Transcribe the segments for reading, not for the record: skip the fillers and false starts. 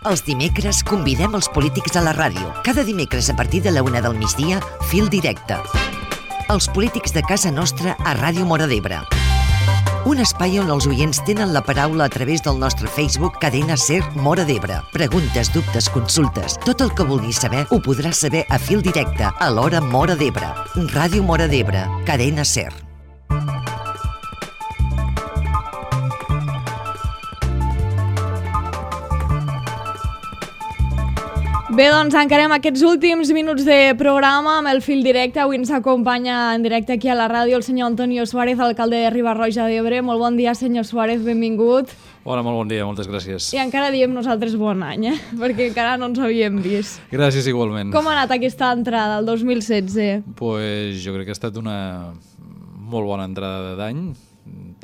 Els dimecres convidem els polítics a la ràdio. Cada dimecres a partir de la 1 del migdia, Fil Directe. Els polítics de casa nostra a Ràdio Móra d'Ebre. Un espai on els oients tenen la paraula a través del nostre Facebook Cadena Ser Móra d'Ebre. Preguntes, dubtes, consultes, tot el que vulguis saber ho podràs saber a Fil Directe a l'hora Móra d'Ebre. Ràdio Móra d'Ebre, Cadena Ser. Bé, doncs encarem aquests últims minuts de programa amb el Fil Directe. Avui ens acompanya en directe aquí a la ràdio el senyor Antonio Suárez, alcalde de Riba-roja d'Ebre. Molt bon dia, senyor Suárez, benvingut. Hola, molt bon dia, moltes gràcies. I encara diem nosaltres bon any, perquè encara no ens havíem vist. Gràcies igualment. Com ha anat aquesta entrada, el 2016? Pues jo crec que ha estat una molt bona entrada d'any,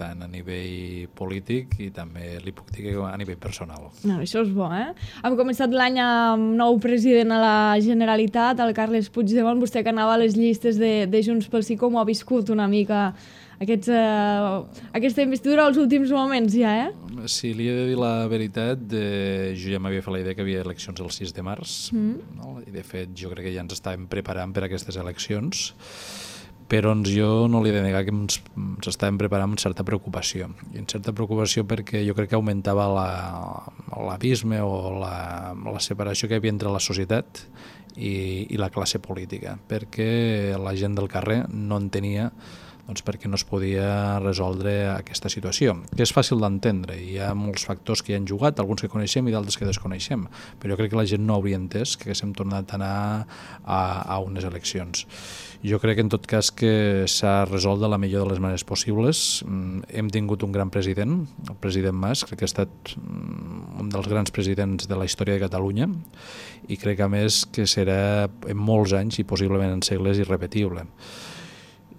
tant a nivell polític i també li puc dir que a nivell personal. No, això és bo, Hem començat l'any amb nou president a la Generalitat, el Carles Puigdemont. Vostè que anava a les llistes de Junts pel Sí, com ho ha viscut una mica aquesta investidura als últims moments ja, Si li he de dir la veritat, jo ja m'havia fet la idea que hi havia eleccions el 6 de març, no? I de fet jo crec que ja ens estàvem preparant per a aquestes eleccions, però jo no li he de negar que ens estàvem preparant amb certa preocupació. I en certa preocupació perquè jo crec que augmentava l'abisme o la separació que hi havia entre la societat i la classe política, perquè la gent del carrer no entenia per què no es podia resoldre aquesta situació, que és fàcil d'entendre. Hi ha molts factors que hi han jugat, alguns que coneixem i d'altres que desconeixem, però jo crec que la gent no hauria entès que haguéssim tornat a anar a unes eleccions. Jo crec en tot cas que s'ha resolt de la millor de les maneres possibles. Hem tingut un gran president, el president Mas, crec que ha estat un dels grans presidents de la història de Catalunya i crec a més que serà en molts anys i possiblement en segles irrepetible.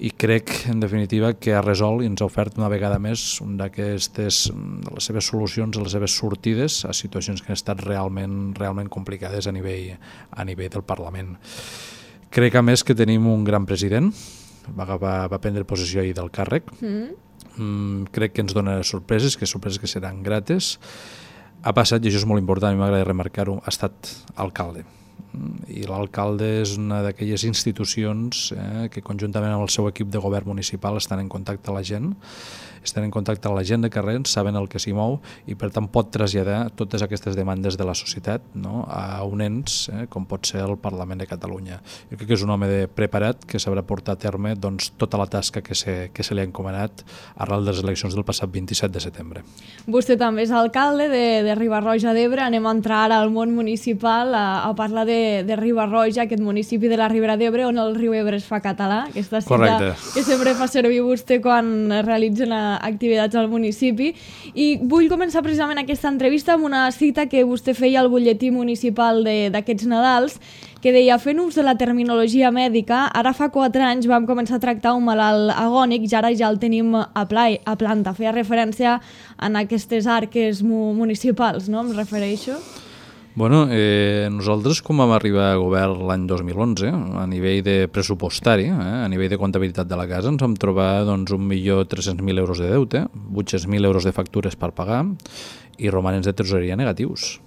I crec, en definitiva, que ha resolt i ens ha ofert una vegada més les seves solucions, les seves sortides a situacions que han estat realment complicades a nivell del Parlament. Crec, a més, que tenim un gran president, va prendre possessió ahir del càrrec. Crec que ens dona sorpreses que seran grates. Ha passat, i això és molt important, a mi m'agrada remarcar-ho, ha estat alcalde. I l'alcalde és una d'aquelles institucions que conjuntament amb el seu equip de govern municipal estan en contacte amb la gent, de carrer, saben el que s'hi mou i per tant pot traslladar totes aquestes demandes de la societat, no? A un ens com pot ser el Parlament de Catalunya. Jo crec que és un home preparat que sabrà portar a terme tota la tasca que se li ha encomanat arrel de les eleccions del passat 27 de setembre. Vostè també és alcalde de Riba-roja d'Ebre. Anem a entrar ara al món municipal a parlar de Riba-roja, aquest municipi de la Ribera d'Ebre on el riu Ebre es fa català, aquesta cita Correcte. Que sempre fa servir vostè quan realitzen activitats al municipi. I vull començar precisament aquesta entrevista amb una cita que vostè feia al butlletí municipal d'aquests Nadals, que deia: fent ús de la terminologia mèdica, ara fa 4 anys vam començar a tractar un malalt agònic i ara ja el tenim a planta. Feia referència a aquestes arques municipals, no? Em refereixo. Bueno, nosaltres com vam arribar a govern l'any 2011, a nivell de pressupostari, a nivell de comptabilitat de la casa, ens vam trobar 1.300.000 euros de deute, 800.000 euros de factures per pagar i romanents de tresoreria negatius.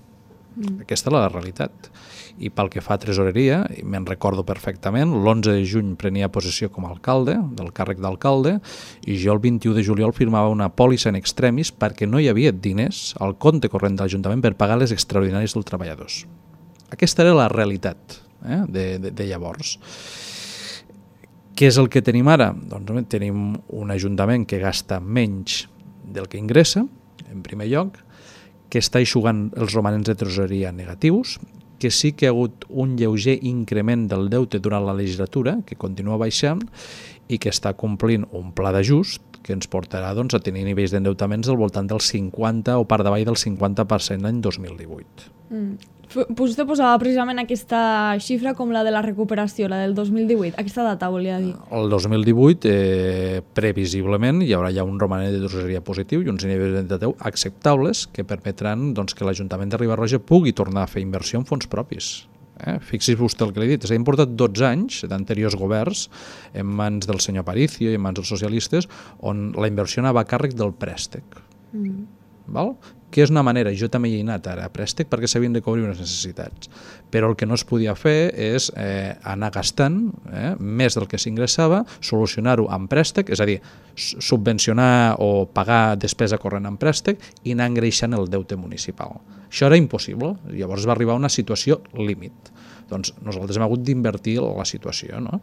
Aquesta és la realitat. I pel que fa a tresoreria, me'n recordo perfectament, l'11 de juny prenia possessió com a alcalde, del càrrec d'alcalde, i jo el 21 de juliol firmava una pòlissa en extremis perquè no hi havia diners al compte corrent de l'Ajuntament per pagar les extraordinàries dels treballadors. Aquesta era la realitat de llavors. Què és el que tenim ara? Doncs tenim un Ajuntament que gasta menys del que ingressa, en primer lloc, que està eixugant els romanents de tresoreria negatius, que sí que hi ha hagut un lleuger increment del deute durant la legislatura, que continua baixant, i que està complint un pla d'ajust que ens portarà a tenir nivells d'endeutaments del voltant del 50 o per davall del 50% l'any 2018. Vostè posava precisament aquesta xifra com la de la recuperació, la del 2018. Aquesta data volia dir. El 2018, previsiblement, hi haurà ja un romanent de tresoreria positiu i uns nivells d'endeutaments acceptables que permetran que l'Ajuntament de Riba-roja pugui tornar a fer inversió en fons propis. Fixi's vostè el que li he dit, s'ha importat 12 anys d'anteriors governs en mans del senyor Aparicio i en mans dels socialistes on la inversió anava a càrrec del préstec. Val? que és una manera, jo també hi he anat ara a préstec perquè s'havien de cobrir unes necessitats, però el que no es podia fer és anar gastant més del que s'ingressava, solucionar-ho amb préstec, és a dir, subvencionar o pagar despesa corrent amb préstec i anar engreixant el deute municipal. Això era impossible, llavors va arribar a una situació límit. Doncs nosaltres hem hagut d'invertir la situació, no?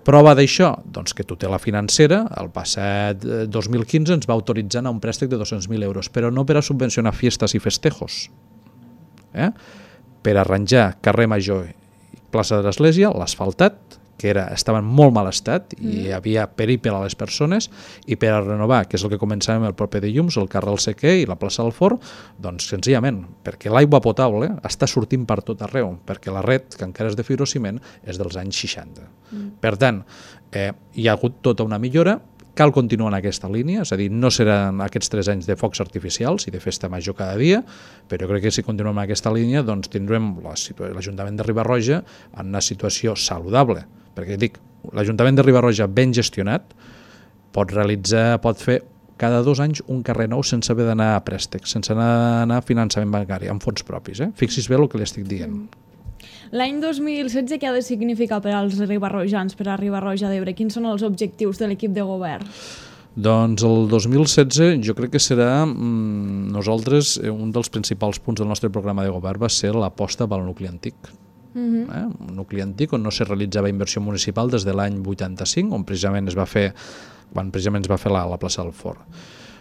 Prova d'això, doncs que tutela financera, el passat 2015 ens va autoritzar a un préstec de 200.000 euros, però no per a subvencionar fiestes i festejos, per arranjar carrer Major i plaça de l'Església, l'asfaltat, que estava en molt mal estat i hi havia perill a les persones, i per a renovar, que és el que començàvem el proper dilluns, el carrer El Sequer i la plaça del Forn, doncs senzillament, perquè l'aigua potable està sortint per tot arreu, perquè la red, que encara és de fibrociment, és dels anys 60. Per tant, hi ha hagut tota una millora, cal continuar en aquesta línia, és a dir, no seran aquests 3 anys de focs artificials i de festa major cada dia, però crec que si continuem en aquesta línia doncs tindrem l'Ajuntament de Riba-roja en una situació saludable, perquè dic, l'Ajuntament de Riba-roja ben gestionat pot fer cada 2 anys un carrer nou sense haver d'anar a préstec, sense anar a finançament bancari, amb fons propis. Fixi's bé el que li estic dient. L'any 2016 què ha de significar per als ribarrojans, per a Riba-roja d'Ebre? Quins són els objectius de l'equip de govern? Doncs el 2016 jo crec que serà, nosaltres, un dels principals punts del nostre programa de govern va ser l'aposta pel nucli antic. Un nucli antic on no se realitzava inversió municipal des de l'any 85, on precisament es va fer la plaça del Forn.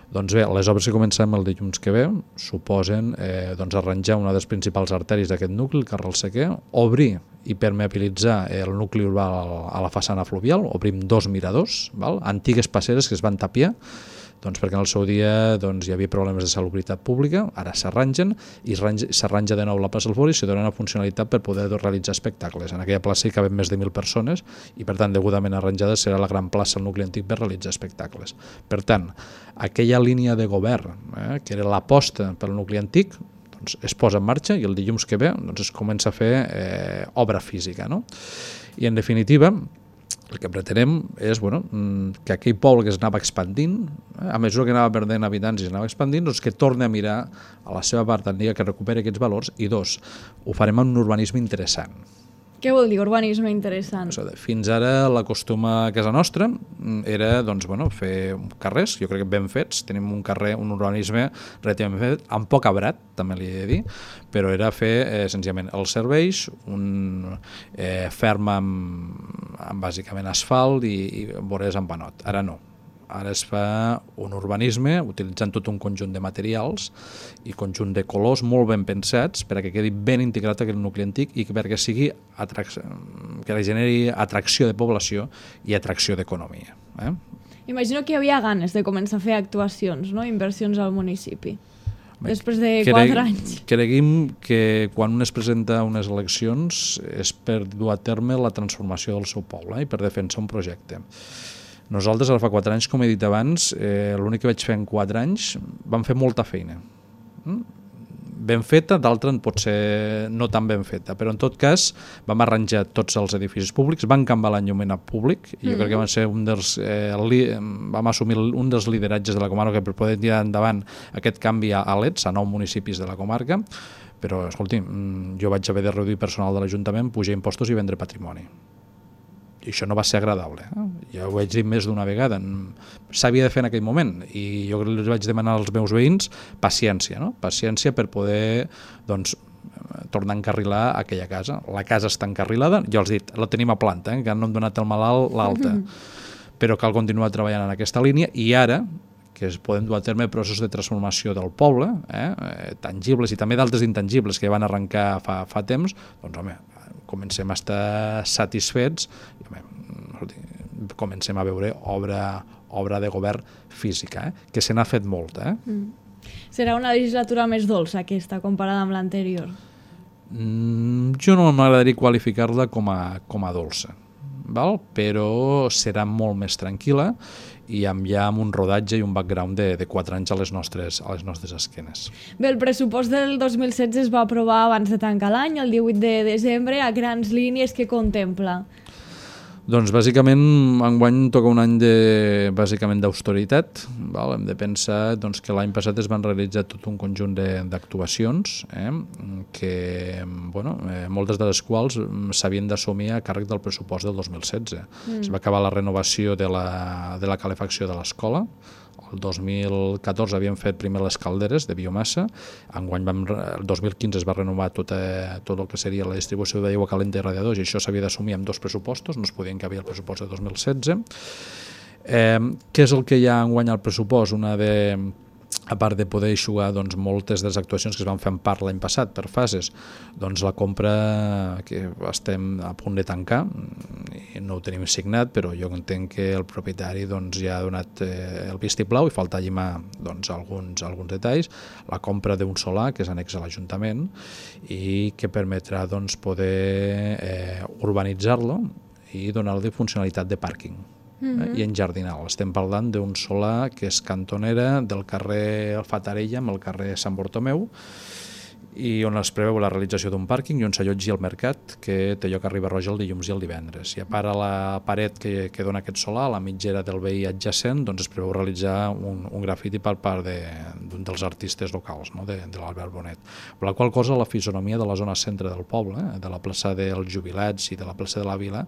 Doncs bé, les obres que comencem el dilluns que ve suposen arranjar una de les principals artèries d'aquest nucli, el carrer El Sequer, obrir i permeabilitzar el nucli urbà a la façana fluvial, obrim 2 miradors, antigues passeres que es van tapiar, perquè en el seu dia hi havia problemes de salubritat pública, ara s'arrangen i s'arranja de nou la plaça del Forn i se dona una funcionalitat per poder realitzar espectacles. En aquella plaça hi caben més de 1.000 persones i per tant degudament arranjada serà la gran plaça al nucli antic per realitzar espectacles. Per tant, aquella línia de govern que era l'aposta pel nucli antic es posa en marxa i el dilluns que ve es comença a fer obra física. I en definitiva el que pretenem és que aquell poble que es anava expandint, a mesura que anava perdent habitants i s'anava expandint, que torni a mirar a la seva part antiga, que recuperi aquests valors, i 2, ho farem amb un urbanisme interessant. Què vol dir urbanisme interessant? Fins ara la costuma a casa nostra era fer carrers, jo crec que ben fets, tenim un carrer, un urbanisme relativament fet, amb poc abrat, també li he de dir, però era fer senzillament els serveis, un ferm amb bàsicament asfalt i vores amb panot. Ara no. Ara es fa un urbanisme utilitzant tot un conjunt de materials i conjunt de colors molt ben pensats perquè quedi ben integrat aquest nucli antic i perquè que generi atracció de població i atracció d'economia. Imagino que hi havia ganes de començar a fer actuacions, inversions al municipi, després de 4 anys. Creguem que quan un es presenta a unes eleccions és per dur a terme la transformació del seu poble i per defensar un projecte. Nosaltres, ara fa 4 anys, com he dit abans, l'únic que vaig fer en 4 anys, vam fer molta feina. Ben feta, d'altra potser no tan ben feta, però en tot cas vam arranjar tots els edificis públics, vam canviar l'enllumenat públic, i jo crec que vam assumir un dels lideratges de la comarca per poder tirar endavant aquest canvi a LEDs, a 9 municipis de la comarca, però, escolti, jo vaig haver de reduir personal de l'Ajuntament, pujar impostos i vendre patrimoni. I això no va ser agradable. Ja ho vaig dir més d'una vegada. S'havia de fer en aquell moment i jo els vaig demanar als meus veïns paciència, paciència per poder tornar a encarrilar aquella casa. La casa està encarrilada, jo els he dit, la tenim a planta, que no hem donat el malalt l'alta, però cal continuar treballant en aquesta línia i ara que podem dur a terme processos de transformació del poble, tangibles i també d'altres intangibles que van arrencar fa temps, doncs home, comencem a estar satisfets i comencem a veure obra de govern física, que se n'ha fet molta. Serà una legislatura més dolça aquesta comparada amb l'anterior? Jo no m'agradaria qualificar-la com a dolça, però serà molt més tranquil·la i ja amb un rodatge i un background de 4 anys a les nostres esquenes. Bé, el pressupost del 2016 es va aprovar abans de tancar l'any, el 18 de desembre, a grans línies que contempla. Doncs bàsicament enguany toca un any bàsicament d'austeritat. Hem de pensar que l'any passat es van realitzar tot un conjunt d'actuacions que moltes de les quals s'havien d'assumir a càrrec del pressupost del 2016. Es va acabar la renovació de la calefacció de l'escola. El 2014 havíem fet primer les calderes de biomassa, enguany el 2015 es va renovar tot el que seria la distribució d'aigua calenta i radiadors, i això s'havia d'assumir amb 2 pressupostos, no es podia encabir el pressupost de 2016. Què és el que hi ha enguany al pressupost? A part de poder eixugar moltes de les actuacions que es van fer en part l'any passat per fases, la compra que estem a punt de tancar, i no ho tenim signat, però jo entenc que el propietari ja ha donat el vistiplau i falta llimar alguns detalls, la compra d'un solar que és annex a l'Ajuntament i que permetrà poder urbanitzar-lo i donar-li funcionalitat de pàrquing i enjardinal. Estem parlant d'un solar que és cantonera del carrer Fatarella amb el carrer Sant Bartomeu, i on es preveu la realització d'un pàrquing i on s'allotgi el mercat, que té lloc a Riba-roja el dilluns i el divendres. I a part a la paret que dona aquest solar, a la mitgera del veí adjacent, es preveu realitzar un grafiti per part d'un dels artistes locals, de l'Albert Bonet. Per la qual cosa la fisonomia de la zona centre del poble, de la plaça dels Jubilats i de la plaça de la Vila,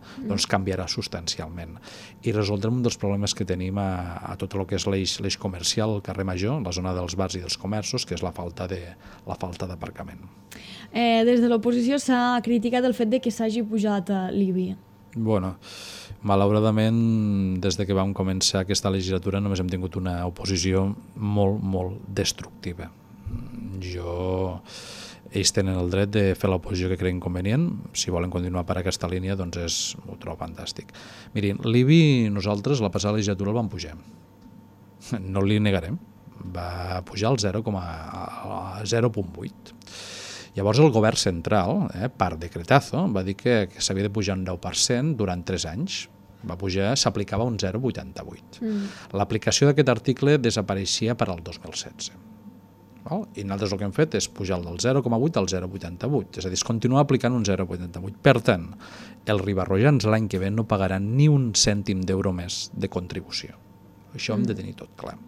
canviarà substancialment. I resoldrem un dels problemes que tenim a tot el que és l'eix comercial, el carrer Major, la zona dels bars i dels comerços, que és la falta d'aparcament. Des de l'oposició s'ha criticat el fet de que s'hagi pujat l'IBI. Malauradament, des que vam començar aquesta legislatura només hem tingut una oposició molt, molt destructiva. Ells tenen el dret de fer l'oposició que creguin convenient. Si volen continuar per aquesta línia, ho trobo fantàstic. Mirin, l'IBI nosaltres la passada legislatura el vam pujar. No li negarem. Va pujar al 0,8. Llavors el govern central, per decretazo, va dir que s'havia de pujar un 9% durant 3 anys. S'aplicava un 0,88. L'aplicació d'aquest article desapareixia per al 2016. I nosaltres el que hem fet és pujar del 0,8 al 0,88, és a dir, es continua aplicant un 0,88. Per tant, els ribarrojans l'any que ve no pagaran ni un cèntim d'euro més de contribució. Això hem de tenir tot clar.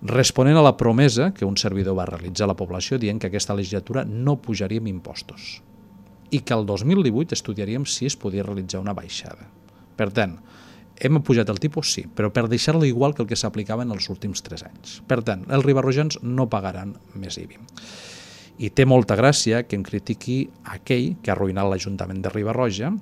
Responent a la promesa que un servidor va realitzar a la població dient que aquesta legislatura no pujaríem impostos i que el 2018 estudiaríem si es podia realitzar una baixada. Per tant, hem pujat el tipus, sí, però per deixar-lo igual que el que s'aplicava en els últims 3 anys. Per tant, els ribarrojans no pagaran més IBI. I té molta gràcia que em critiqui aquell que ha arruïnat l'Ajuntament de Riba-roja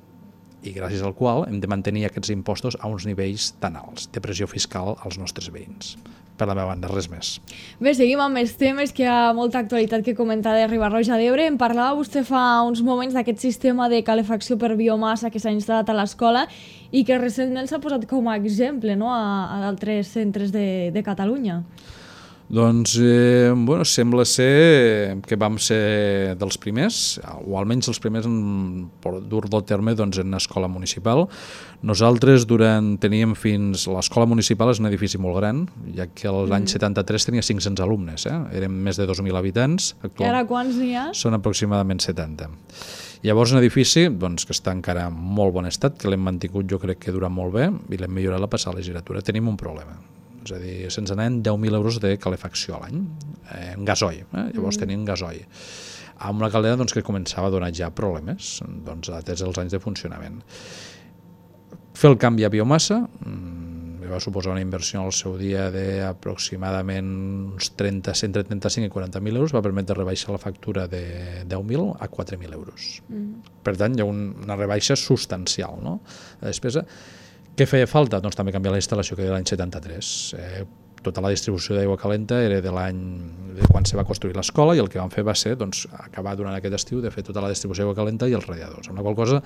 i gràcies al qual hem de mantenir aquests impostos a uns nivells tan alts de pressió fiscal als nostres veïns. Per la meva banda, res més. Bé, seguim amb més temes, que hi ha molta actualitat que comentar de Riba-roja d'Ebre. Em parlava vostè fa uns moments d'aquest sistema de calefacció per biomassa que s'ha instal·lat a l'escola i que recentment s'ha posat com a exemple a d'altres centres de Catalunya. Doncs, sembla ser que vam ser dels primers, o almenys els primers en dur-lo a terme en escola municipal. Nosaltres teníem fins... L'escola municipal és un edifici molt gran, ja que l'any 73 tenia 500 alumnes, érem més de 2.000 habitants. I ara quants n'hi ha? Són aproximadament 70. Llavors un edifici que està encara en molt bon estat, que l'hem mantingut jo crec que dura molt bé i l'hem millorat la passada legislatura. Tenim un problema. És a dir, se'ns anaven 10.000 euros de calefacció a l'any, en gasoil, llavors tenien gasoil. Amb una caldera que començava a donar ja problemes, atès els anys de funcionament. Fer el canvi a biomassa va suposar una inversió al seu dia d'aproximadament uns 135 i 40.000 euros, va permetre rebaixar la factura de 10.000 a 4.000 euros. Per tant, hi ha una rebaixa substancial, no? La despesa. Què feia falta? Doncs també canviar la instal·lació que era l'any 73. Tota la distribució d'aigua calenta era de quan se va construir l'escola i el que vam fer va ser acabar durant aquest estiu de fer tota la distribució d'aigua calenta i els radiadors. Amb la qual cosa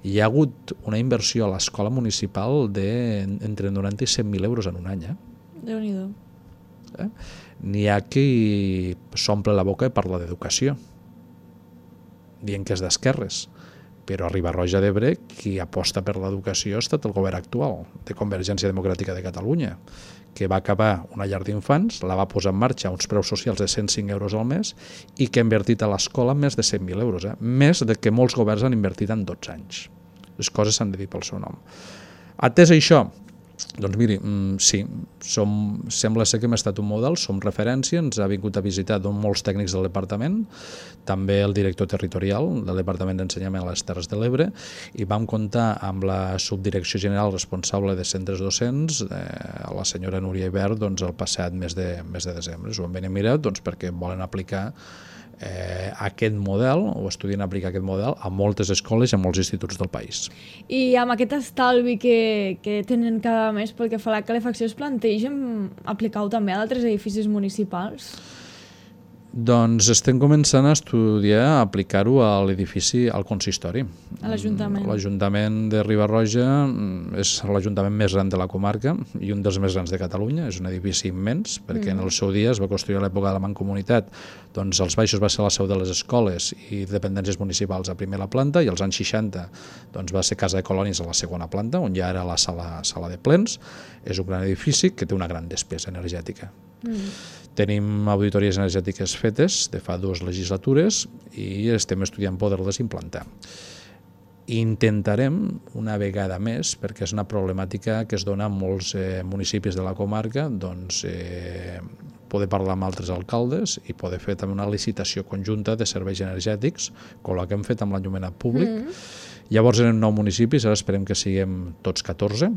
hi ha hagut una inversió a l'escola municipal d'entre 90 i 100.000 euros en un any. Déu-n'hi-do. N'hi ha qui s'omple la boca i parla d'educació, dient que és d'esquerres. Però a Riba-roja d'Ebre qui aposta per l'educació ha estat el govern actual de Convergència Democràtica de Catalunya, que va acabar una llar d'infants, la va posar en marxa a uns preus socials de 105 euros al mes i que ha invertit a l'escola més de 100.000 euros, més del que molts governs han invertit en 12 anys. És les coses s'han de dir pel seu nom. Atès això, doncs miri, sí, sembla ser que hem estat un model, som referència, ens ha vingut a visitar molts tècnics del departament, també el director territorial del Departament d'Ensenyament a les Terres de l'Ebre, i vam comptar amb la subdirecció general responsable de centres docents, la senyora Núria Ibert, doncs, el passat mes de desembre. S'ho van venir a mirar perquè volen aplicar aquest model, o estudien aplicar aquest model a moltes escoles i a molts instituts del país. I amb aquest estalvi que tenen cada mes pel que fa a la calefacció, es plantegen aplicar-ho també a d'altres edificis municipals? Doncs estem començant a estudiar aplicar-ho a l'edifici, al consistori. A l'Ajuntament. L'Ajuntament de Riba-roja és l'Ajuntament més gran de la comarca i un dels més grans de Catalunya. És un edifici immens, perquè en el seu dia es va construir a l'època de la Mancomunitat. Doncs als baixos va ser la seu de les escoles i dependències municipals a primera planta, i als anys 60 doncs, va ser Casa de Colònies a la segona planta, on ja era la sala de plens. És un gran edifici que té una gran despesa energètica. Tenim auditories energètiques fetes de fa 2 legislatures i estem estudiant poder-les implantar. Intentarem una vegada més, perquè és una problemàtica que es dona a molts municipis de la comarca, doncs, poder parlar amb altres alcaldes i poder fer també una licitació conjunta de serveis energètics, com la que hem fet amb l'enllumenat públic. Llavors eren 9 municipis, ara esperem que siguem tots 14,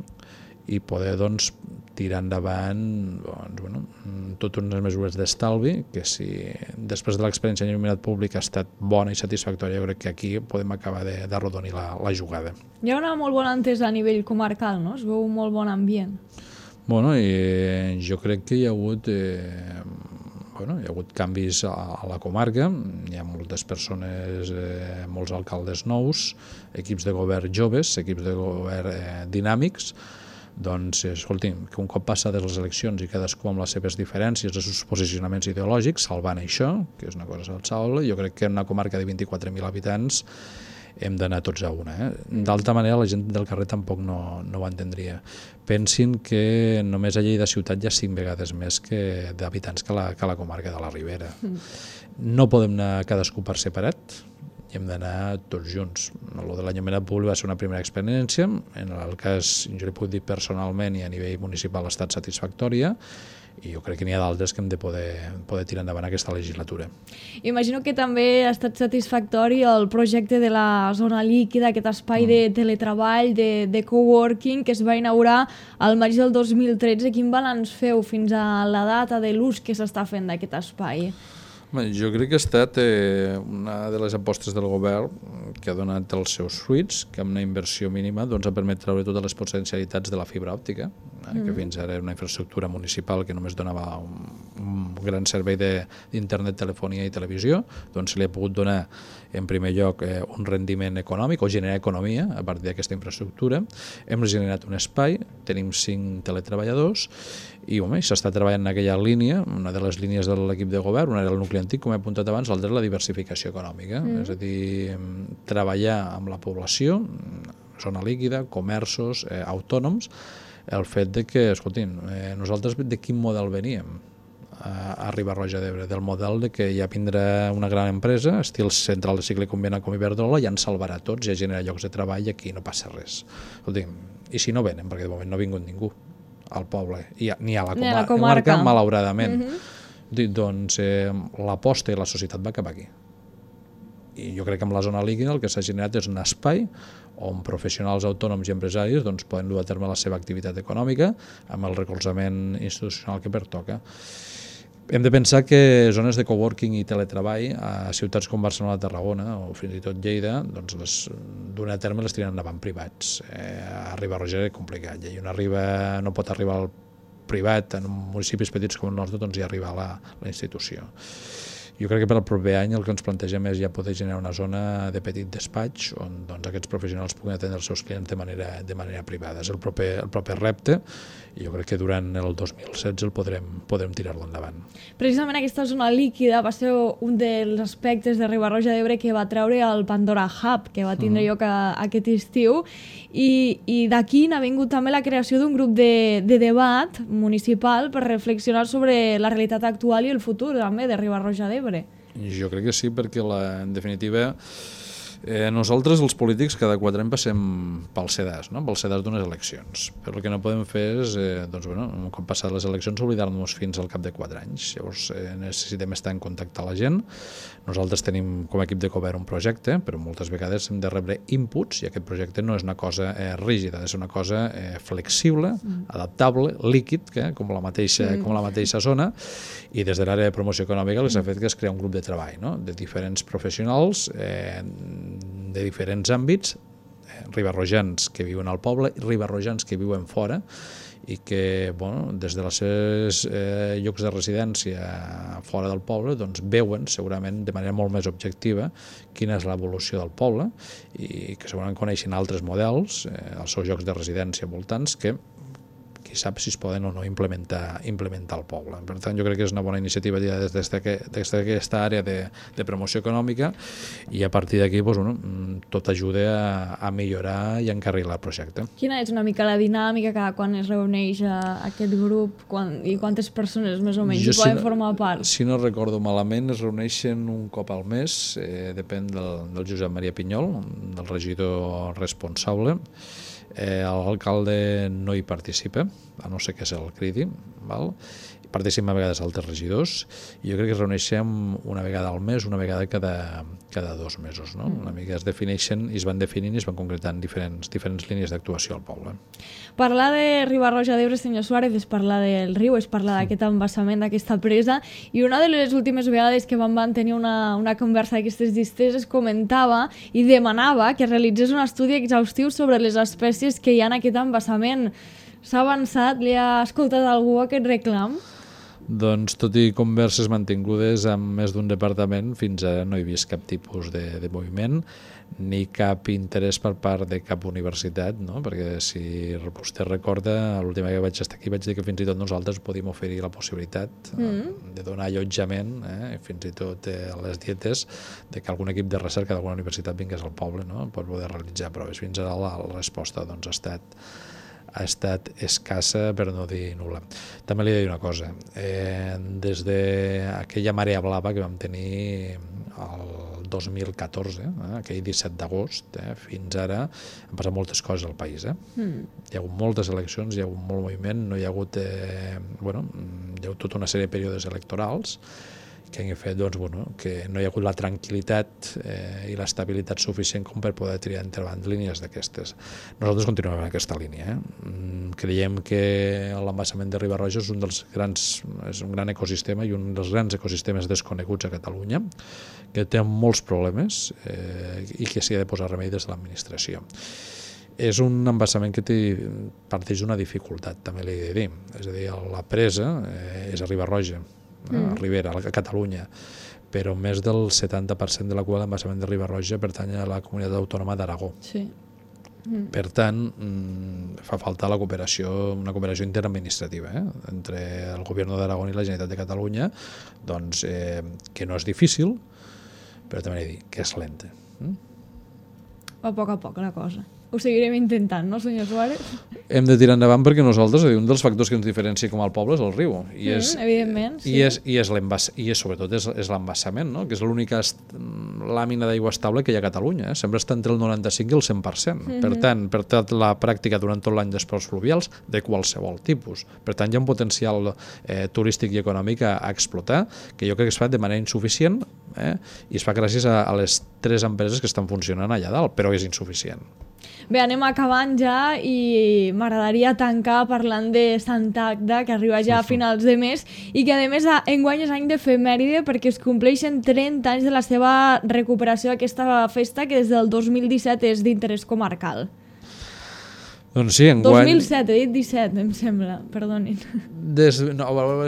i poder doncs, tirar endavant totes unes mesures d'estalvi que si després de l'experiència en il·luminat públic ha estat bona i satisfactòria, jo crec que aquí podem acabar d'arrodonir la jugada. Hi ha una molt bona entesa a nivell comarcal, no? Es veu un molt bon ambient. I jo crec que hi ha hagut hi ha hagut canvis a la comarca, hi ha moltes persones, molts alcaldes nous, equips de govern joves, equips de govern dinàmics. Doncs, escolti'm, que un cop passades les eleccions i cadascú amb les seves diferències, els seus posicionaments ideològics, salvant això, que és una cosa salvable, jo crec que en una comarca de 24.000 habitants hem d'anar tots a una. D'altra manera, la gent del carrer tampoc no ho entendria. Pensin que només a Lleida ciutat hi ha 5 vegades més d'habitants que la comarca de la Ribera. No podem anar cadascú per separat, i hem d'anar tots junts. El de l'enllumenat públic va ser una primera experiència, en el cas, jo li puc dir personalment i a nivell municipal ha estat satisfactòria, i jo crec que n'hi ha d'altres que hem de poder tirar endavant aquesta legislatura. Imagino que també ha estat satisfactori el projecte de la zona líquida, aquest espai de teletreball, de coworking, que es va inaugurar al maig del 2013. Quin balanç feu fins a la data de l'ús que s'està fent d'aquest espai? Jo crec que ha estat una de les apostes del govern que ha donat els seus fruits, que amb una inversió mínima ha permès treure totes les potencialitats de la fibra òptica, que fins ara era una infraestructura municipal que només donava un gran servei d'internet, telefonia i televisió, doncs se li ha pogut donar en primer lloc un rendiment econòmic o generar economia a partir d'aquesta infraestructura. Hem generat un espai, tenim 5 teletreballadors i s'està treballant en aquella línia, una de les línies de l'equip de govern, una era el nucli antic, com he apuntat abans, l'altra és la diversificació econòmica, és a dir, treballar amb la població, zona líquida, comerços, autònoms, el fet de que, escoltin, nosaltres de quin model veníem a Riba-roja d'Ebre? Del model de que ja vindrà una gran empresa, estil central de cicle combinat com Iberdrola, ja ens salvarà tots, ja genera llocs de treball i aquí no passa res. Escoltin, i si no venen, perquè de moment no ha vingut ningú al poble, ni a la comarca, malauradament. Doncs l'aposta i la societat va cap aquí. I jo crec que amb la zona líquida el que s'ha generat és un espai on professionals autònoms i empresaris poden dur a terme la seva activitat econòmica amb el recolzament institucional que pertoca. Hem de pensar que zones de coworking i teletreball a ciutats com Barcelona, Tarragona o fins i tot Lleida, doncs d'una a terme les tiren endavant privats. A Riba-roja és complicat, i una no pot arribar al privat en municipis petits com el nostre, doncs hi arriba la institució. Jo crec que per al proper any el que ens plantegem és ja poder generar una zona de petit despatx on aquests professionals puguin atendre els seus clients de manera privada. És el proper repte i jo crec que durant el 2016 el podrem tirar-lo endavant. Precisament aquesta zona líquida va ser un dels aspectes de Riba-roja d'Ebre que va treure el Pandora Hub, que va tindre lloc aquest estiu, i d'aquí n'ha vingut també la creació d'un grup de debat municipal per reflexionar sobre la realitat actual i el futur també de Riba-roja d'Ebre. Jo crec que sí, perquè en definitiva Nosaltres, els polítics, cada 4 anys passem pel sedàs, no? Pel sedàs d'unes eleccions. Però el que no podem fer és, un cop passat les eleccions, oblidar-nos fins al cap de 4 anys. Llavors, necessitem estar en contacte amb la gent. Nosaltres tenim, com a equip de govern, un projecte, però moltes vegades hem de rebre inputs, i aquest projecte no és una cosa rígida, ha de ser una cosa flexible, adaptable, líquid, com la mateixa zona, i des de l'àrea de promoció econòmica els ha fet que es crea un grup de treball, no? De diferents professionals, de diferents àmbits, ribarrojans que viuen al poble i ribarrojans que viuen fora, i que des dels seus llocs de residència fora del poble veuen segurament de manera molt més objectiva quina és l'evolució del poble, i que segurament coneixen altres models als seus llocs de residència voltants que qui sap si es poden o no implementar al poble. Per tant, jo crec que és una bona iniciativa des d'aquesta àrea de promoció econòmica, i a partir d'aquí tot ajuda a millorar i a encarrilar el projecte. Quina és una mica la dinàmica cada quan es reuneix aquest grup i quantes persones més o menys hi poden formar part? Si no recordo malament, es reuneixen un cop al mes, depèn del Josep Maria Pinyol, del regidor responsable. L'alcalde no hi participa, a no ser que se'l cridi, participen a vegades altres regidors, i jo crec que es reuneixem una vegada al mes, una vegada cada 2 mesos, no? Una mica es defineixen i es van definint i es van concretant diferents línies d'actuació al poble. Parlar de Riba-roja d'Ebre, senyor Suárez, és parlar del riu, és parlar d'aquest embassament, d'aquesta presa, i una de les últimes vegades que vam tenir una conversa d'aquestes llistes es comentava i demanava que realitzés un estudi exhaustiu sobre les espècies que hi ha en aquest embassament. S'ha avançat? Li ha escoltat algú aquest reclam? Doncs, tot i converses mantingudes amb més d'un departament, fins ara no he vist cap tipus de moviment, ni cap interès per part de cap universitat, no? Perquè si vostè recorda, l'última que vaig estar aquí vaig dir que fins i tot nosaltres podíem oferir la possibilitat de donar allotjament, fins i tot a les dietes, de que algun equip de recerca d'alguna universitat vingués al poble, no? Per poder realitzar proves. Fins ara la resposta ha estat escassa, per no dir nul·la. També li he de dir una cosa. Des d'aquella marea blava que vam tenir el 2014, aquell 17 d'agost, fins ara han passat moltes coses al país. Hi ha hagut moltes eleccions, hi ha hagut molt moviment, no hi ha hagut... hi ha hagut tota una sèrie de períodes electorals que han fet que no hi ha hagut la tranquil·litat i l'estabilitat suficient com per poder tirar endavant línies d'aquestes. Nosaltres continuem en aquesta línia. Creiem que l'embassament de Riba-roja és un gran ecosistema i un dels grans ecosistemes desconeguts a Catalunya, que té molts problemes i que s'hi ha de posar remei des de l'administració. És un embassament que parteix d'una dificultat, també li he de dir. És a dir, la presa és a Riba-roja, a Ribera, a Catalunya, però més del 70% de la cua de l'embassament de Riba-roja pertany a la comunitat autònoma d'Aragó. Sí. Per tant, fa falta una cooperació interadministrativa entre el govern d'Aragó i la Generalitat de Catalunya, que no és difícil, però també he de dir que és lenta. A poc la cosa. Ho seguirem intentant, no, senyor Suárez? Hem de tirar endavant perquè nosaltres, un dels factors que ens diferencia com al poble és el riu. Evidentment, sí. I sobretot és l'embassament, no? Que és l'única làmina d'aigua estable que hi ha a Catalunya. Sempre està entre el 95 i el 100%. Per tant, per tota la pràctica durant tot l'any d'esports fluvials de qualsevol tipus. Per tant, hi ha un potencial turístic i econòmic a explotar, que jo crec que es fa de manera insuficient, i es fa gràcies a les 3 empreses que estan funcionant allà dalt, però és insuficient. Bé, anem acabant ja i m'agradaria tancar parlant de Santa Agda, que arriba ja a finals de mes i que a més enguany és any d'efemèride perquè es compleixen 30 anys de la seva recuperació d'aquesta festa que des del 2017 és d'interès comarcal. Doncs sí, enguany... 2007, he dit 17, em sembla, perdonin.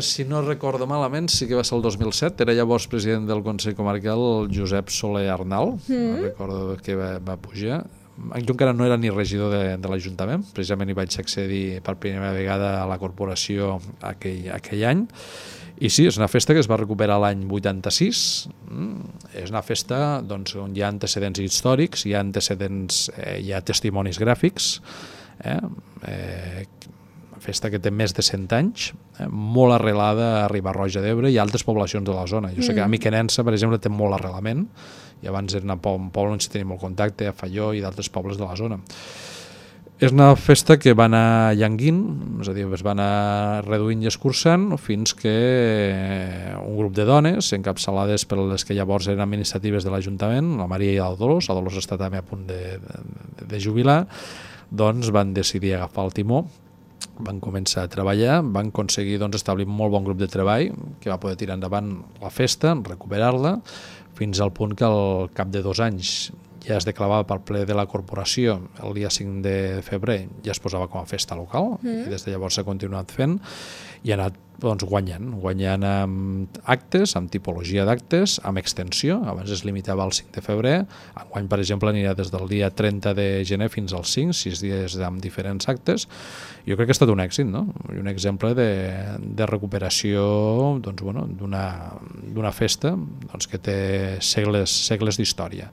Si no recordo malament, sí que va ser el 2007, era llavors president del Consell Comarcal el Josep Soler Arnal, recordo que va pujar. Jo encara no era ni regidor de l'Ajuntament, precisament hi vaig accedir per primera vegada a la corporació aquell any, i sí, és una festa que es va recuperar l'any 86, és una festa on hi ha antecedents històrics, hi ha testimonis gràfics, festa que té més de 100 anys, molt arrelada a Riba-roja d'Ebre i altres poblacions de la zona. Jo sé que a Miquenensa, per exemple, té molt arrelament, i abans era un poble on s'hi tenia molt contacte, a Falló i d'altres pobles de la zona. És una festa que va anar llanguint, és a dir, es va anar reduint i escurçant fins que un grup de dones, encapçalades per les que llavors eren administratives de l'Ajuntament, la Maria i la Dolors està també a punt de jubilar, doncs van decidir agafar el timó, van començar a treballar, van aconseguir establir un molt bon grup de treball que va poder tirar endavant la festa, recuperar-la, fins al punt que al cap de 2 anys ja es declarava per ple de la corporació el dia 5 de febrer, ja es posava com a festa local, i des de llavors s'ha continuat fent i ha anat guanyant amb actes, amb tipologia d'actes, amb extensió. Abans es limitava al 5 de febrer, enguany, per exemple, anirà des del dia 30 de gener fins al 5, 6 dies amb diferents actes. Jo crec que ha estat un èxit, no? I un exemple de recuperació d'una festa que té segles d'història.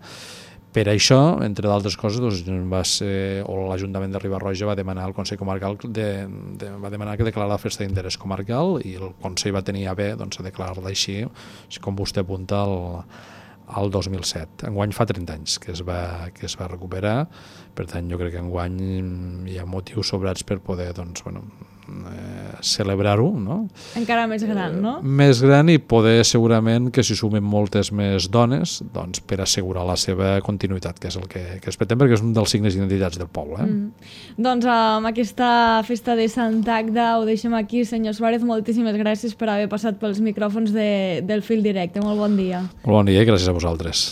Per això, entre d'altres coses, l'Ajuntament de Riba-roja va demanar al Consell Comarcal va demanar que declarara la festa d'interès comarcal i el Consell va tenir a bé a declarar-la així, com vostè apunta, al 2007. Enguany fa 30 anys que es va recuperar, per tant jo crec que enguany hi ha motius sobrats per poder celebrar-ho, no? Encara més gran, no? Més gran, i poder segurament que s'hi sumen moltes més dones per assegurar la seva continuïtat, que és el que es pretén, perquè és un dels signes d'identitats del poble. Doncs amb aquesta festa de Sant Agda ho deixem aquí. Senyor Suárez, moltíssimes gràcies per haver passat pels micròfons del Fil Directe. Molt bon dia. Molt bon dia i gràcies a vosaltres.